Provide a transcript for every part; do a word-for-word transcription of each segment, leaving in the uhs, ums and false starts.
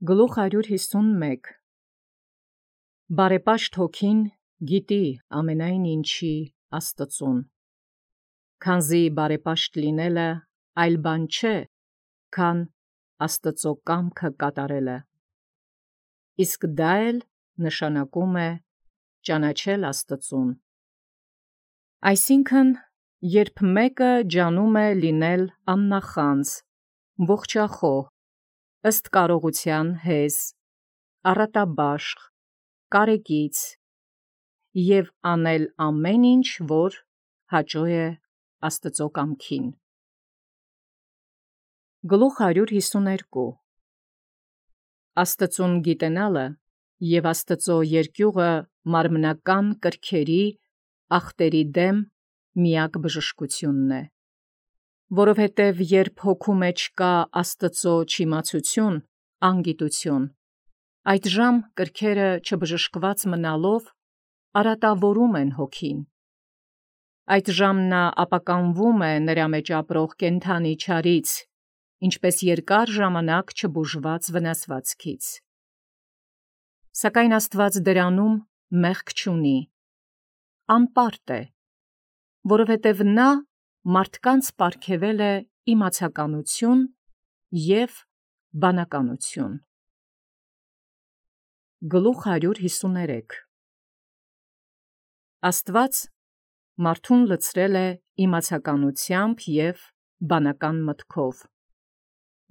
Գլուխ հարյուր հիսունմեկ Բարեպաշտ հոգին գիտի ամենայն ինչի Աստծուն, քանզի բարեպաշտ լինելը այլ բան չէ, քան Աստծո կամքը կատարելը, իսկ դա էլ նշանակում է ճանաչել Աստծուն։ Այսինքն, երբ մեկը ջանում է լինել աննախանձ, ողջախոհ, ըստ կարողության հեզ, առատաբաշխ, կարեկից և անել ամեն ինչ, որ հաճո է Աստծո կամքին։ Գլուխ հարյուր հիսուներկու Աստծուն գիտենալը և Աստծո երկյուղը մարմնական կրքերի ախտերի դեմ միակ բժշկությունն է, որովհետև երբ հոգու մեջ կա Աստծո չիմացություն, անգիտություն, այդժամ կրքերը չբժշկված մնալով արատավորում են հոգին, այդժամ նա ապականվում է նրա մեջ ապրող կենդանի չարից, ինչպես երկար ժամանակ չբուժված վնասվածքից։ Սակայն Աստված դրանում մեղք չունի, անպարտ է, որովհետև նա մարդկանց պարգևել է իմացականություն և բանականություն։ Գլուխ հարյուր հիսուներեք Աստված մարդուն լցրել է իմացականությամբ և բանական մտքով,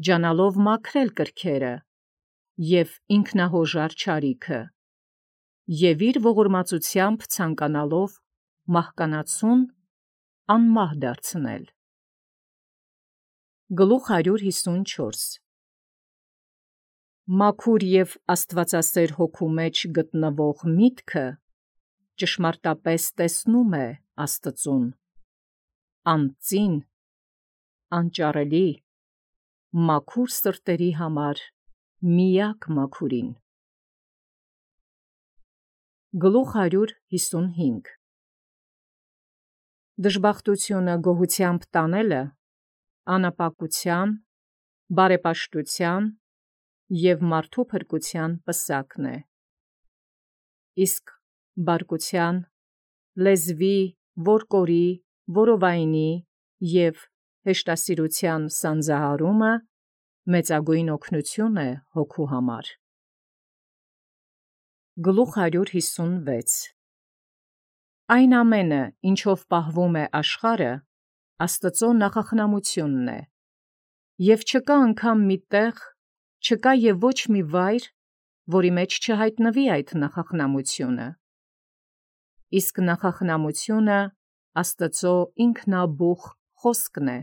ջանալով մաքրել կրքերը և ինքնահոժար չարիքը և իր ողորմածությամբ ցանկանալով մահկանացուն անմահ դարձնել։ Գլուխ հարյուր հիսունչորս Մաքուր և աստվածասեր հոգու մեջ գտնվող միտքը ճշմարտապես տեսնում է Աստծուն, անծին, անճարելի, մաքուր սրտերի համար միակ մաքուրին։ Գլուխ հարյուր հիսունհինգ Դժբախտությունը գոհությամբ տանելը անապակության, բարեպաշտության և մարդու փրկության պսակն է, իսկ բարկության, լեզվի, որկորի, որովայնի և հեշտասիրության սանձահարումը մեծագույն օգնություն է հոգու համար։ Գլուխ հարյուր հիսունվեց Այն ամենը, ինչով պահվում է աշխարհը, Աստծո նախախնամությունն է, և չկա անգամ մի տեղ, չկա և ոչ մի վայր, որի մեջ չհայտնվի այդ նախախնամությունը։ Իսկ նախախնամությունը Աստծո ինքնաբուխ խոսքն է,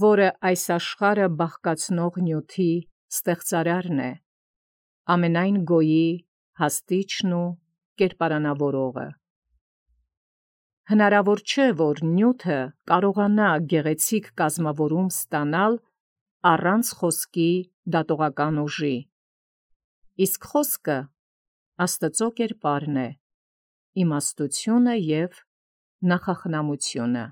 որը այս աշխարհը բաղկացնող նյութի ստեղծարարն է, ամենայն գոյի հաստիչն ու կերպարանավորողը։ Հնարավոր չէ, որ նյութը կարողանա գեղեցիկ կազմավորում ստանալ առանց խոսքի դատողական ուժի, իսկ խոսքը Աստծո կերպարն է, իմաստությունը և նախախնամությունը։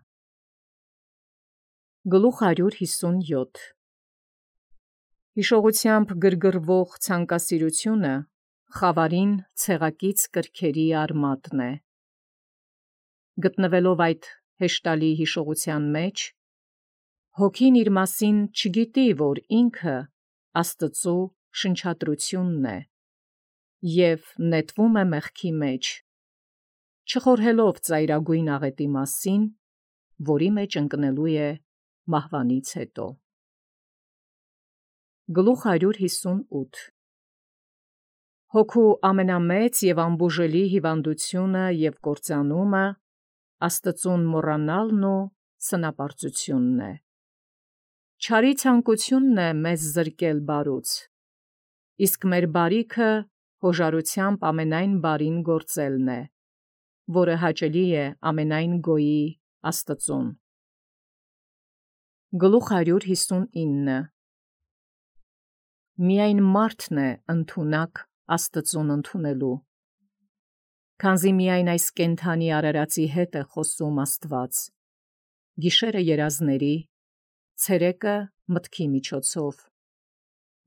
Գլուխ հարյուր հիսունյոթ Հիշողությամբ գրգռվող ցանկասիրությունը խավարին ցեղակից կրքերի արմատն է։ Գտնվելով այդ հեշտալի հիշողության մեջ, հոգին իր մասին չգիտի, որ ինքը Աստծո շնչատրությունն է, և նետվում է մեղքի մեջ, չխորհելով ծայրագույն աղետի մասին, որի մեջ ընկնելու է մահվանից հետո։ Գլուխ հարյուր հիսունութ Հոգու ամենամեծ և անբուժելի հիվանդությունը և կործանումը Աստծուն մոռանալն ու սնապարծությունն է։ Չարի ցանկությունն է մեզ զրկել բարուց, իսկ մեր բարիքը հոժարությամբ ամենայն բարին գործելն է, որը հաճելի է ամենայն գոյի Աստծուն։ Գլուխ հարյուր հիսունինը Միայն մարդն է ընդունակ Աստծուն ընդունելու, քանզի միայն այս կենդանի արարածի հետ է խոսում Աստված, գիշերը երազների, ցերեկը մտքի միջոցով,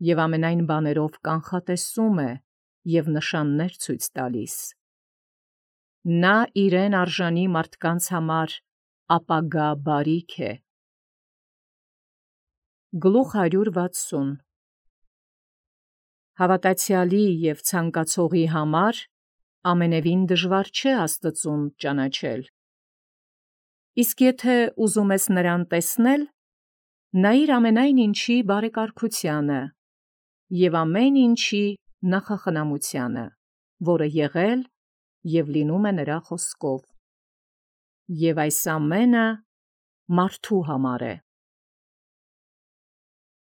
և ամենայն բաներով կանխատեսում է և նշաններ ցույց տալիս։ Նա իրեն արժանի մարդկանց համար ապագա բարիք է։ Գլուխ հարյուր վաթսուն Հավատացյալի և ցանկացողի համար ամենևին դժվար չէ Աստծուն ճանաչել։ Իսկ եթե ուզում ես նրան տեսնել, նայիր ամենայն ինչի բարեկարգությանը և ամեն ինչի նախախնամությանը, որը եղել և լինում է նրա խոսքով, և այս ամենը մարդու համար է։